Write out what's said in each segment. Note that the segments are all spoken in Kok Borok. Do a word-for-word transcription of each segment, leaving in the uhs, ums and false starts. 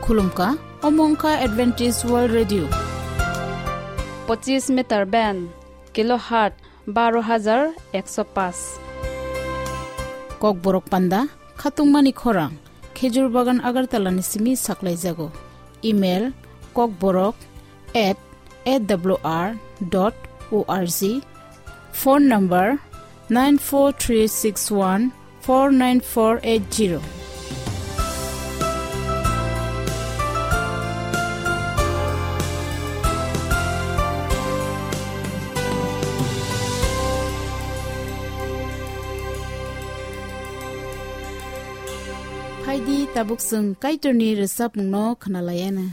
Khulumkha, omo wngkha Adventist World Radio. Pochis meter band, kilohertz baro hajar ekso paanch. Kokborok panda, khatungmani khorang, Khejur Bagan Agartala ni simi saklaijago. Email, kokborok at A W R dot O R G. Phone number, nine four three six one four nine four eight zero. Phaidi, tabuk chwng Kaitorni rwchapmungno khwnalaiana.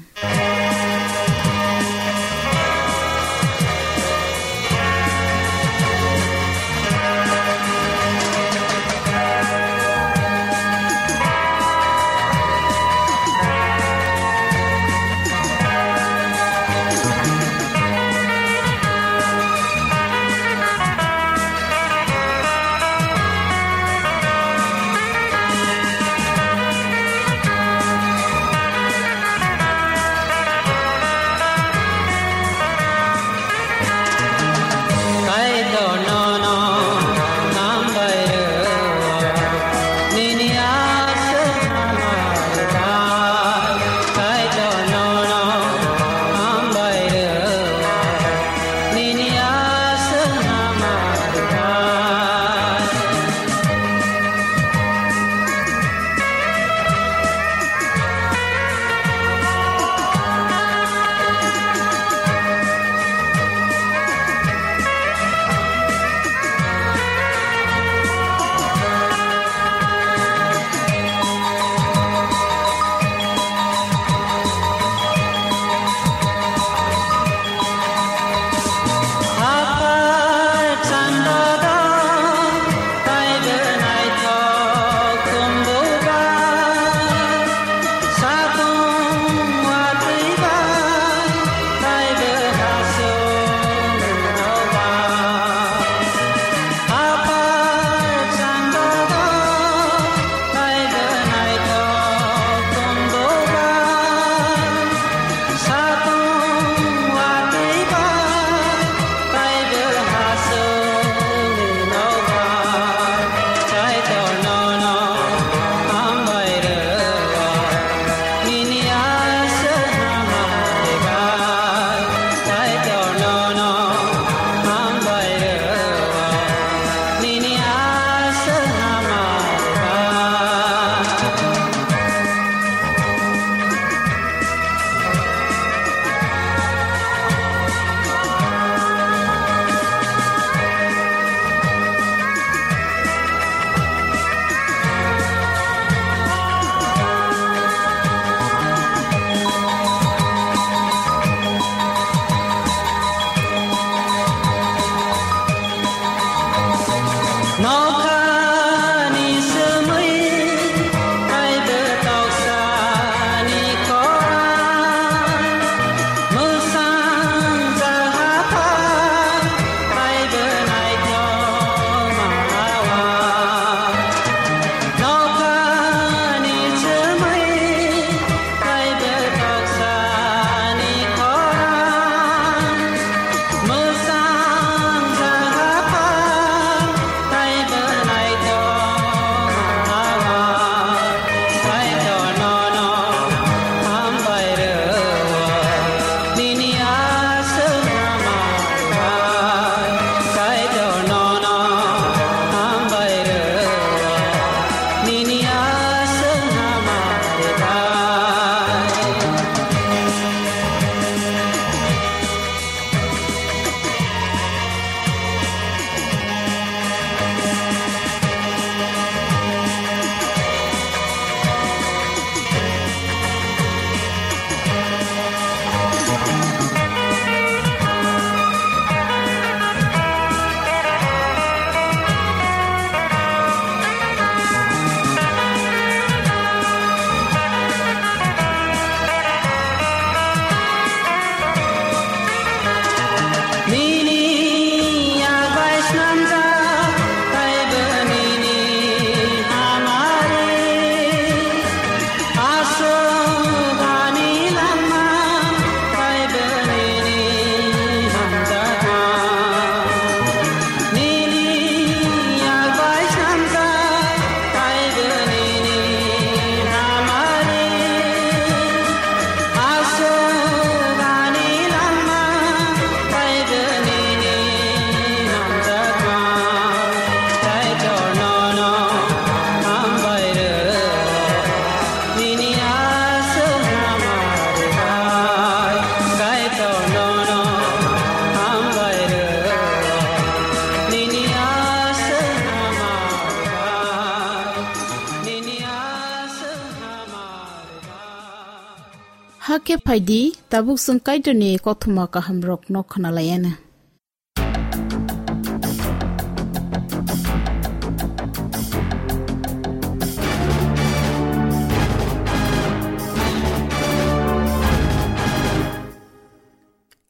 Hakhe phaidi, tabuk chwng Kaitorni kothoma kahamrokno khwnalaianw.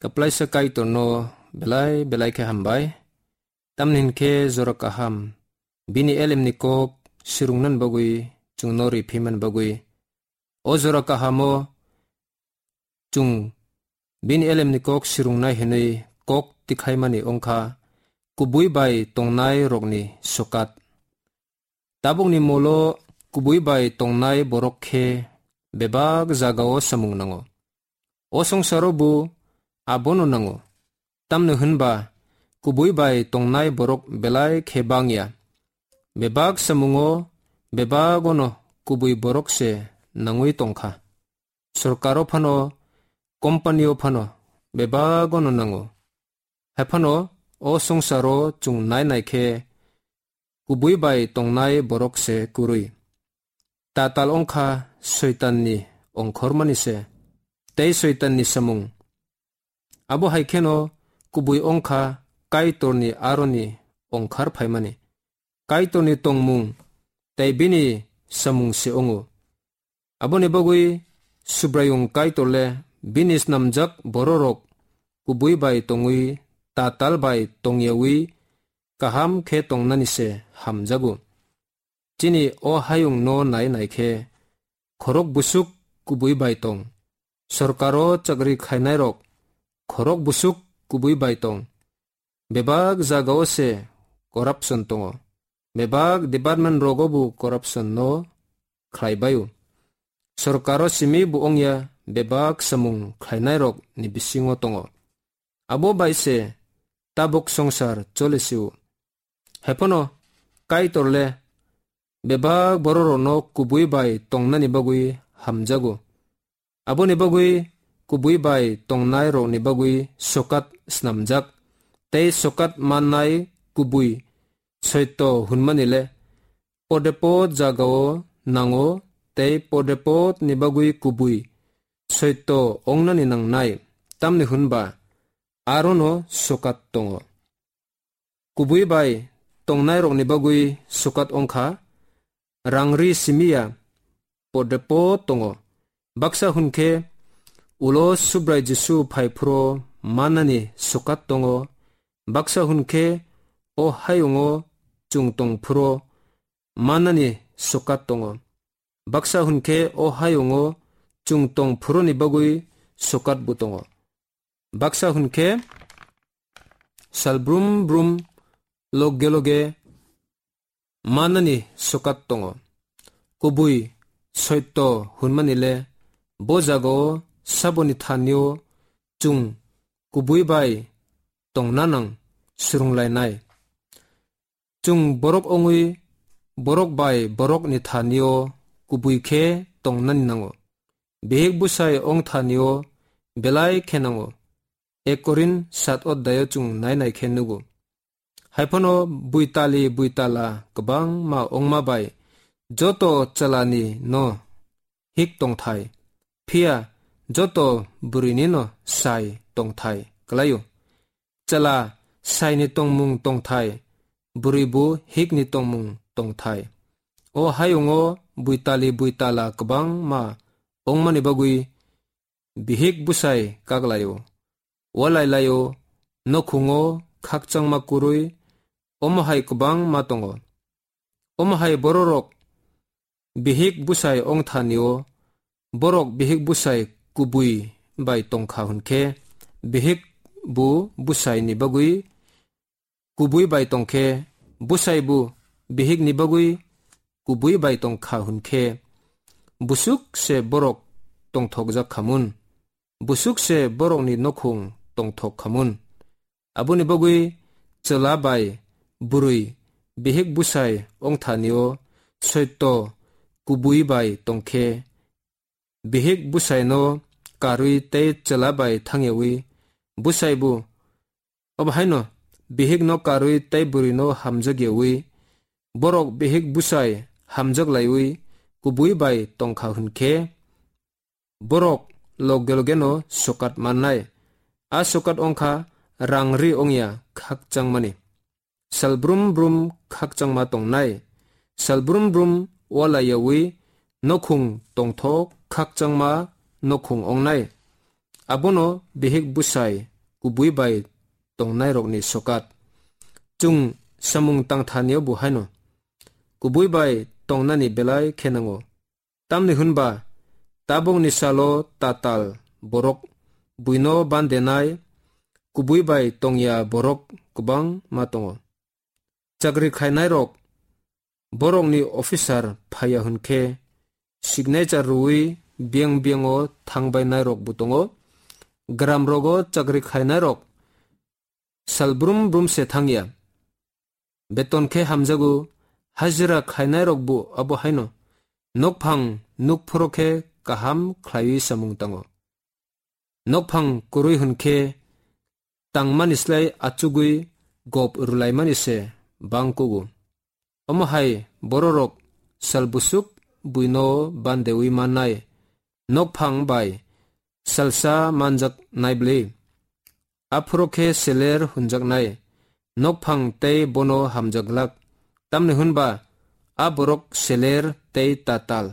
Kwplaisa Kaitorno belai belai khe hambai. Tamni hinkhe jora kaham, bini elemni kok sirungnan bagwi chwngno riphiman bagwi. O jora kahamo chwng bini elemni kok sirungnai hinwi kok tikhlaimani wngkha kubui bai tongnai rokni sokat. Tabukni molo kubui bai tongnai borok khe bebak jagao samung nango. O songsaro bo abono nango. Tamni hwnba kubui bai tongnai borok belai khe bangya. Bebak samungo bebagono kubui borok se nangwi tongkha. Sorkaro phano, company-o phano bebagono nango. Hai phano o songsaro chwng nai nai khe kubui bai tongnai borok se kwrwi. Tatal wngkha Soitanni ongkhormani se, tei Soitanni samung. Abo hai kheno kubui wngkha Kaitorni aroni ongkhar phaimani. Kaitorni tongmung tei bini samung se wngo. Aboni bagwi Subraiyung Kaitor le bini snamjak bororok kubui bai tongwi tatal bai tongyawi kaham khe tongnani se hamjago. Chini o hayungno nai nai khe khorok busuk kubui bai tong. Sorkaro chakri khainairok khorok busuk kubui bai tong. Bebak jagao se corruption tongo. Bebak department rogo bo corruption no khlai baio. Sorkaro simi bo wngya, bebak samung khlainairok ni bisingo tongo. Abo bai se tabuk songsar chole sio. Hai phano Kaitor le bebak bororokno kubui bai tongnani bagwi hamjago. Aboni bagwi kubui bai tongnai rokni bagwi sokat snamjak, tei sokat mannai kubui soito hwnmani le podepot jagao nango, tei podepot ni bagwi kubui soito ongnani nangnai, tamni hwnba arono sokat tongo. Kubui bai tongnai rokni bagwi sokat wngkha, rangri simiya podepot tongo. Baksa hwn khe ulo Subrai Jisu phai phuro mannani sokat tongo. Baksa hwn khe o hayungo chwng tong phuro mannani sokat tongo. Baksa hwn khe o hayungo chwng tong phuroni bagwi sokat bo tongo. Baksa hwn khe sal brum brum loge loge mannani sokat tongo. Kubui soito hwnmani le bo jagao saboni thanio chwng kubui bai tongna nang swrwnglainai. Chwng borok wngwi borok bai borokni thanio kubui khe tongnani nango. Bihik bwsai wng thanio belai khe nango. Ek Korin sat oddayo chwng nai nai khe nugo. Hai phano buitali buitala kwbangma wngma bai joto chwlani no hik tongthai, phiya joto bwrwini no sai tongthai kwlaio. Chwla saini tongmung tongthai, bwrwi bo hikni tongmung tongthai. O hayungo buitali buitala kwbangma wngmani bagwi bihik bwsai kak laio, walai laio, nokhungo khakchangma kwrwi, omo hai kwbangma tongo. Omo hai bororok bihik bwsai wng thanio, borok bihik bwsai kubui bai tongkha hwn khe, bihik bo bwsaini bagwi kubui bai tong khe, bwsai bo bihikni bagwi kubui bai tong kha hwn khe, busuk se borok tongthokjak kha mun, busuk se borokni nokhung tongthok kha mun. Aboni bagwi chwla bai bwrwi bihik bwsai wng thanio soito kubui bai tong khe, bihik bwsaino karwi tei chwla bai thangyawi bwsai bo, obo haino bihikno karwi tei bwrwino hamjakyawi borok bihik bwsai hamjaklaiwi kubui bai tongkha hwn khe, borok loge logeno sokat mannai. A sokat wngkha rang ri wngya khakchangmani. Sal brum brum khakchangma tongnai. Sal brum brum walaiyawi nokhung tongthok khakchangma nokhung wngnai. Abono bihik bwsai kubui bai tongnairokni sokat. Chwng samung tangthanio bo haino kubui bai tongnani belai khe nango. Tamni hwnba tabukni salo tatal borok buino bandenai kubui bai tongya borok kwbangma tongo. Chakri khainairok borokni officer phaiya hwnkhe signature rwui biyang biyango thangbainairokbo tongo. Gramrogo chakri khainairok sal brum brum se thangya. Beton khe hamjago, hajira khainairokbo abo haino. Nokphang nukphoro khe kaham khlaiwi samung tango. Nokphang kwrwi hwnkhe tangmani slai achugwi gop rwlaimani se bang kugo. Omo hai bororok sal busuk buino bandewi mannai nokphang bai salsa manjak nai bwlwi. Aphuru khe seler hunjaknai nokphang tei bono hamjak glak. Tamni hwnba a borok seler tei tatal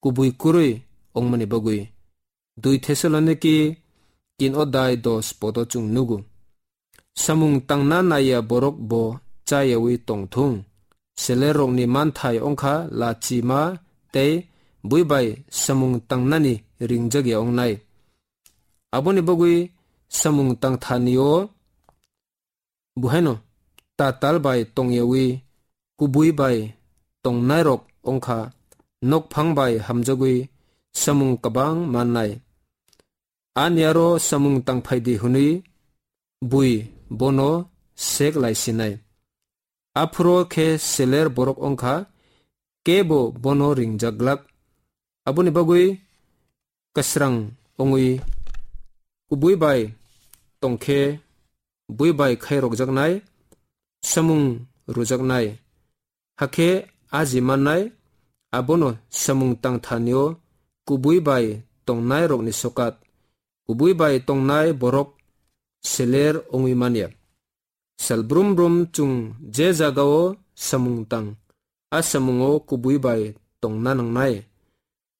kubui kwrwi wngmani bagwi. Dui Thessaloniki tin odai dos podo chwng nugo. Samung tangna naiya borok bo chayawi tongthung. Selerrokni manthai wngkha lachima tei bui bai samung tangnani ringjagya wngnai. Aboni bagwi samung tangthanio buhaino tatal bai tongyawi kubui bai tongnairok wngkha nokphang bai hamjagwi samung kwbang mannai. Ani aro samung tangphaidi hwnwi bui bono sek lai sinai. Aphuru khe seler borok wngkha kebo bono ringjak glak. Aboni bagwi kwsrang wngwi kubui bai tongkhe bui bai khairokjaknai, samung rwjaknai, hakhe aji mannai, abono samung tangthanio kubui bai tongnairokni sokat. Kubui bai tongnai borok seler wngwi manya. Sal brum brum chwng je jagao samung tang, a samungo kubui bai tongna nangnai.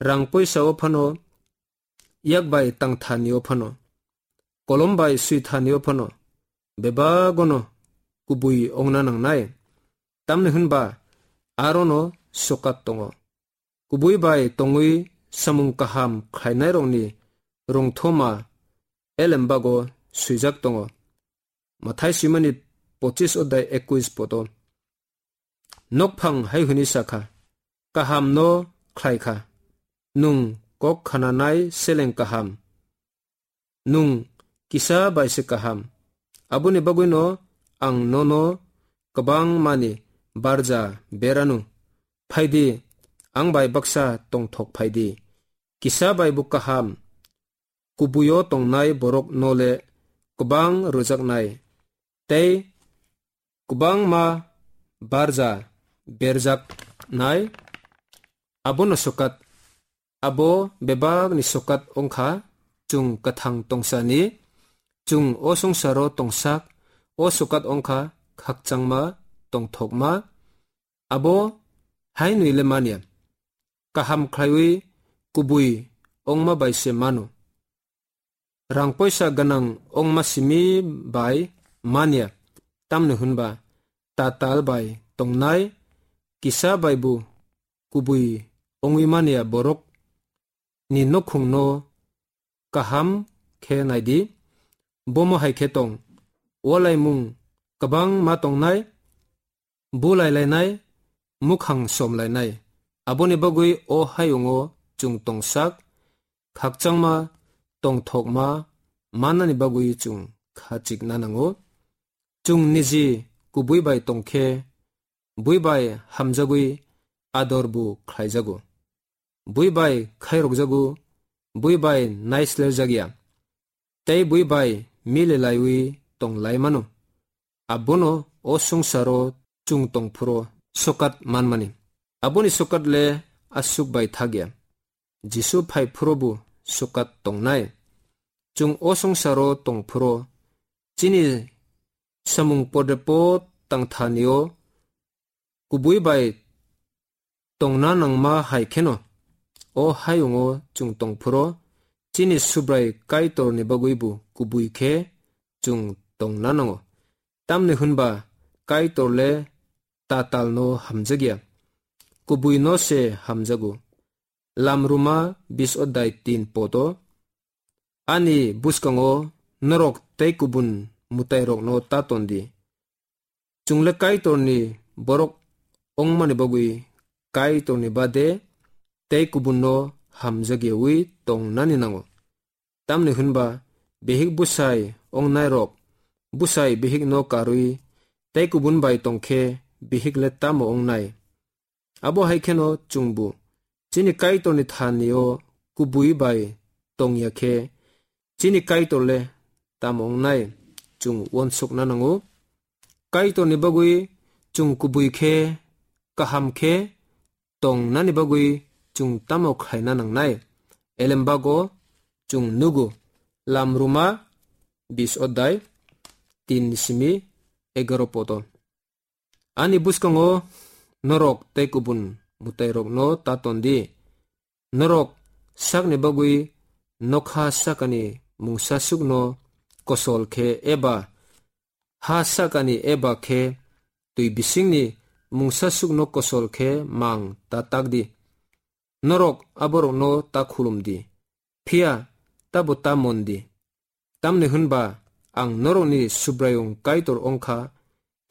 Rang poisao phano, yak bai tangthanio phano, kolom bai swithanio phano, bebagono kubui wngna nangnai. Tamni hwnba arono sokat tongo. Kubui bai tongwi samung kaham khlainairokni rwngthoma elembago swijak tongo. Mathai swimani pochis odai ekwis poto. Nokphang hai hwnwi sakha, "Kaham no khlai kha, nwng kok khananai seleng kaham, nwng kisa bai se kaham. Aboni bagwino ang nono kwbang mani barja beranu. Phaidi, ang bai baksa tongthok phaidi. Kisa bai bo kaham, kubuio tongnai borok nole kwbang rwjaknai, tei kwbangma barja berjaknai." Abono sokat, abo bebakni sokat wngkha, chwng kwthang tongsani, chwng o songsaro tongsak, o sokat wngkha khakchangma, tongthokma. Abo hainwi le manya, kaham khlaiwi kubui wngma bai se mano. Rang poisa gwnang wngma simi bai manya, tamni hwnba tatal bai tongnai kisa bai bo kubui wngwi manya borok ni nokhungno kaham khe naidi, bomo hai khe tong, walaimung kwbang ma tongnai, bulai lainai, mukhang som lainai. Aboni bagwi o hayungo chwng tongsak, khakchangma, tongthokma mannani bagwi chwng kha chikna nango. Chwng niji kubui bai tongkhe, bui bai hamjagwi ador bo khlaijago. Bui bai khairokjago, bui bai naislerjakya, tei bui bai mili laiwi tong lai mano. Abono o songsaro chwng tong phuru sokat manmani. Aboni sokat le aswk bai thakya. Jisu phai phuru bo sukat tongnai. Chwng o swngcharo tongphuru chini samung podrepo tangthanio kubui bai tongna nangma hai kheno, o hayungo chwng tongphuru chini Subrai Kaitorni bagwibo kubui khe chwng tongna nango. Tamni hwnba Kaitor le tatalno hamjakya, kubuino se hamjago. Lamruma bis odai tin poto, ani bwskango norok tei kubun mwtairokno ta tondi. Chwng le Kaitorni borok wngmani bagwi Kaitorni bade tei kubunno hamjakyawi tongnani nango. Tamni hwnba bihik bwsai wngnairok bwsai bihikno karwi tei kubun bai tongkhe bihik le tamo wngnai? Abo hai kheno chwngbo chini Kaitorni thanio kubui bai tongya khe chini Kaitor le tamo wngnai? Chwng uansukna nango. Kaitorni bagwi chwng kubui khe, kaham khe tongnani bagwi chwng tamo khlaina nangnai? Elembago chwng nugo, Lamruma bis odai tin simi egaro poto. Ani bwskango norok tei kubun mwtairokno ta tondi. Norok sakni bagwi nokha sakani mungsasukno kosol khe eba ha sakani eba khe twi bisingni mungsasukno kosol khe mang ta takdi. Norok aborokno ta khulumdi, phiya tabo ta mondi. Tamni hwnba ang norokni Subraiyung Kaitor wngkha,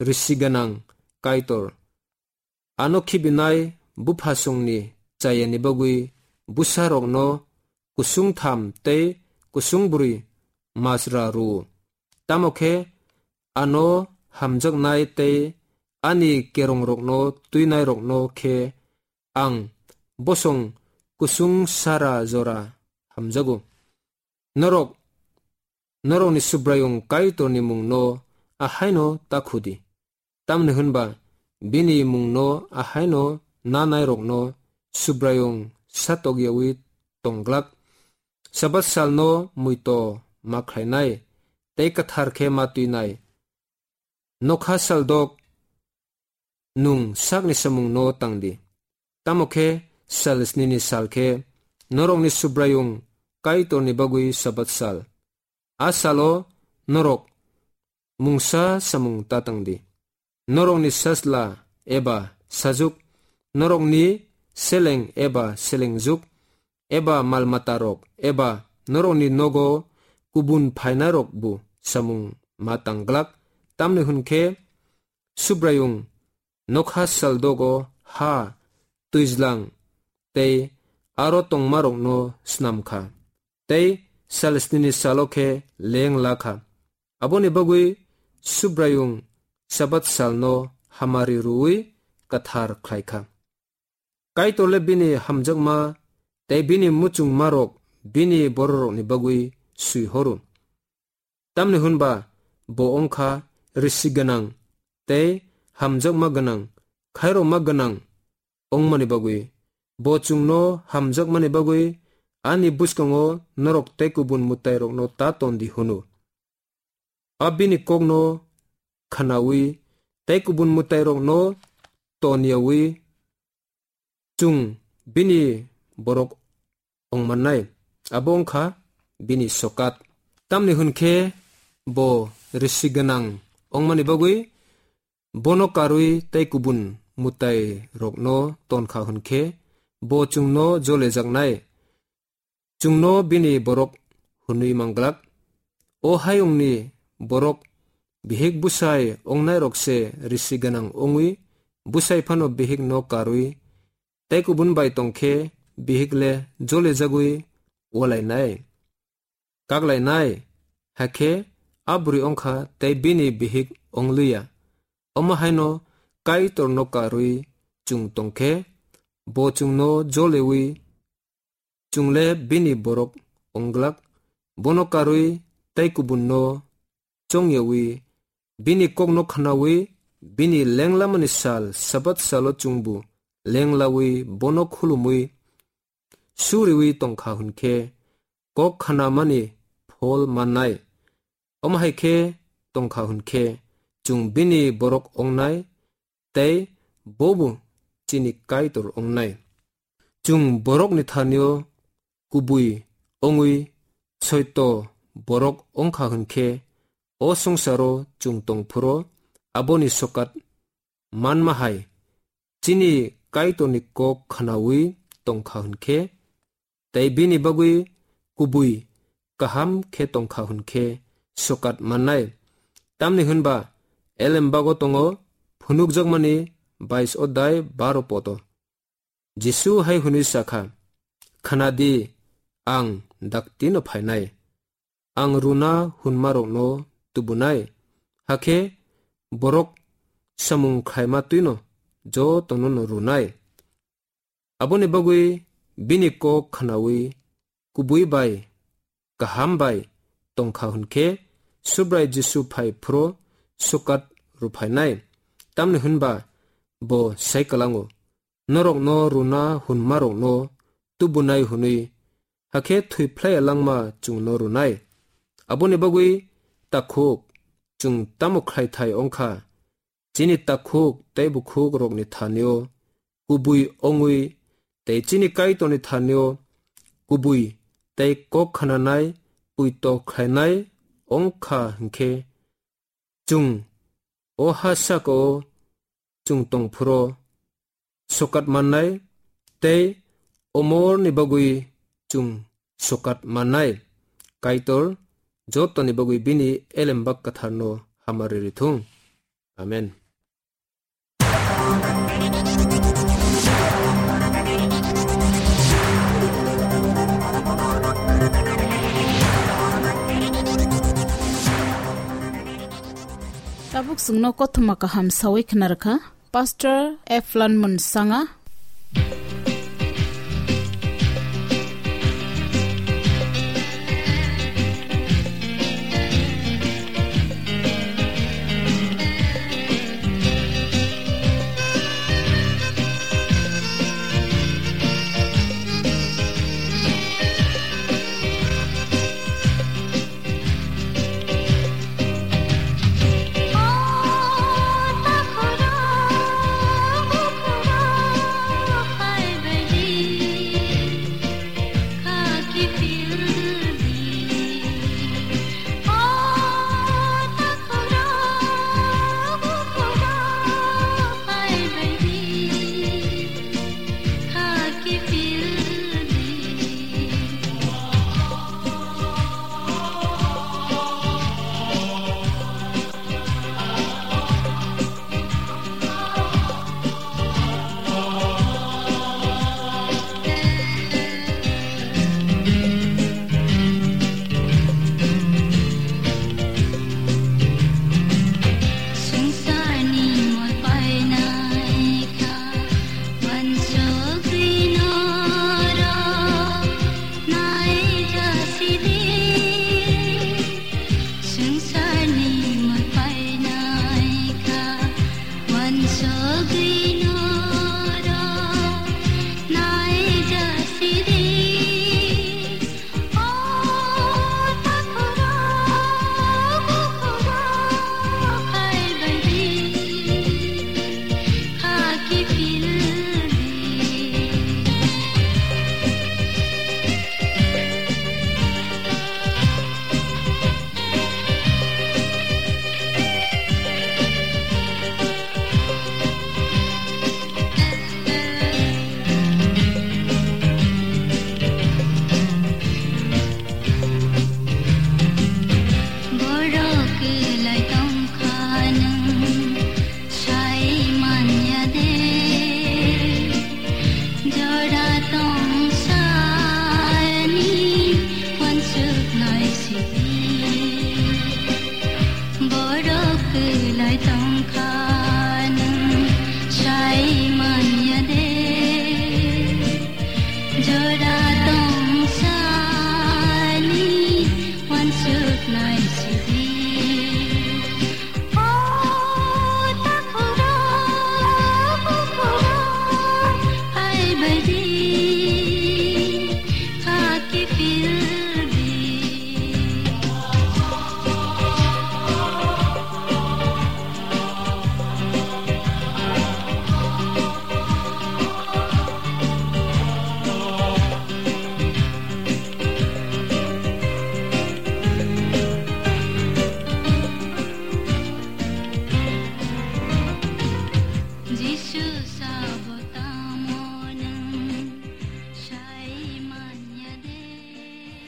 risi gwnang Kaitor. Ano khibinai buphasongni chayani bagwi bwsarokno kusung tham tei kusung bwrwi masra rwo. Tamo khe ano hamjaknai tei ani kerongrokno twinairokno khe ang bosong kusung sara jora hamjago. Norok, norokni Subraiyung Kaitorni mungno ahaino ta khudi. Tamni hwnba bini mungno ahaino nanairokno Subraiyung satokyawi tongglak. Sabat salno muito ma khlainai tei kwthar khe ma twinai. Nokha saldok nwng sakni samungno tangdi. Tamo khe sal snini sal khe norokni Subraiyung Kaitorni bagwi Sabat sal. A salo norok mungsa samung ta tangdi. Norokni sasla eba sajuk, norokni seleng eba selengjuk, eba malmatarok, eba norokni nogo kubun phainarokbo samung ma tangglak, tamni hwn khe Subraiyung nokha saldogo ha, twijlang tei aro tongmarokno snam kha, tei sal snini salo khe leng la kha. Aboni bagwi Subraiyung Sabat salno hamari rwui kwthar khlai kha. Kaitor le bini hamjakma tei bini muchungmarok bini bororokni bagwi swi horo. Tamni hwnba bo wng kha risi gwnang tei hamjakma gwnang, khairokma gwnang wngmani bagwi. Bo chwngno hamjakmani bagwi ani bwskango norok tei kubun mwtairokno ta ton di hwno. A bini kokno khnaui tei kubun mwtairokno ton yaui chwng bini borok wng mannai, abo wng kha bini sokat. Tamni hwn khe bo risi gwnang wngmani bagwi bono karwi tei kubun mwtairokno ton kha hwn khe bo chwngno jolejaknai. Chwngno bini borok hwnwi manglak. O hayungni borok bihik bwsai wngnairok se risi gwnang wngwi bwsai phano bihikno karwi tei kubun bai tong khe bihik le jolejagwi walainai, kaklainai, hakhe a bwrwi wng kha tei bini bihik wng liya. Omo haino Kaitorno karwi chwng tong khe bo chwngno jolewi chwng le bini borok wng glak. Bono karwi tei kubunno chong yaui bini kokno khnaui bini lenglamani sal Sabat salo chwngbo lenglaui bono khulumui suriui tong kha hwn khe kok khnamani phol mannai. Omo hai khe tongkha hwn khe, chwng bini borok wngnai, tei bobo chini Kaitor wngnai. Chwng borokni thani-o kubui wngwi soito borok wngkha hwn khe, o swngcharo chwng tong phuru aboni sokat manma hai chini Kaitorni kok khnaui tongkha hwn khe, tei bini bagwi kubui kaham khe tongkha hwn khe sokat mannai. Tamni hwn ba Elembago tongo phunukjakmani bais odai baro poto. Jisu hai hwnwi sa kha, "Khna di, ang daktino phainai. Ang runa hwnmarokno tubunai, hakhe borok samung khlaima twino jotono'-no runai." Aboni bagwi bini kok khnaui kubui bai kaham bai tongkha hwn khe, Subrai Jisu phai phuru sokat rwphainai. Tamni hwn ba bo sai kwlango, "Norokno runa hwnmarokno tubunai hwnwi, hakhe thwi phlai langma chwngno runai." Aboni bagwi takhuk chwng tamo khlaithai wngkha? Chini takhuk tei bukhukrokni thani-o kubui wngwi tei chini Kaitorni thani-o kubui tei kok khnanai poito khlainai wngkha hwn khe, chwng o ha saka-o chwng tong phuru sokat mannai tei omorni bagwi chwng sokat mannai. Kaitor jotoni bagwi bini elembak kwtharno hamari rithung. Amen. Tabuk chwngno kothoma kaham sawi khna rwkha Pastor Eflan Munsanga.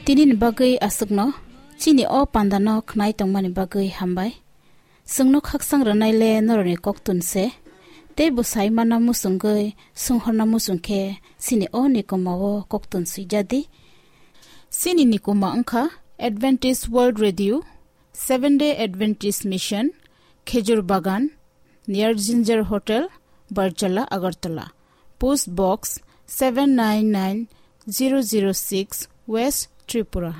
Tinini bagwi aswkno chini o pandano khnai tongmani bagwi hambai. Chwngno khaksang rwnaile norokni koktun se, tei bo sai manna muchungwi swnghorna muchung khe chini o nikoma o koktun swijadi. Chini nikoma wngkha Adventist World Radio, Seventh Day Adventist Mission, Khejur Bagan, near Ginger Hotel, Barjala, Agartala. Post Box seven nine nine zero zero six, West Tripura.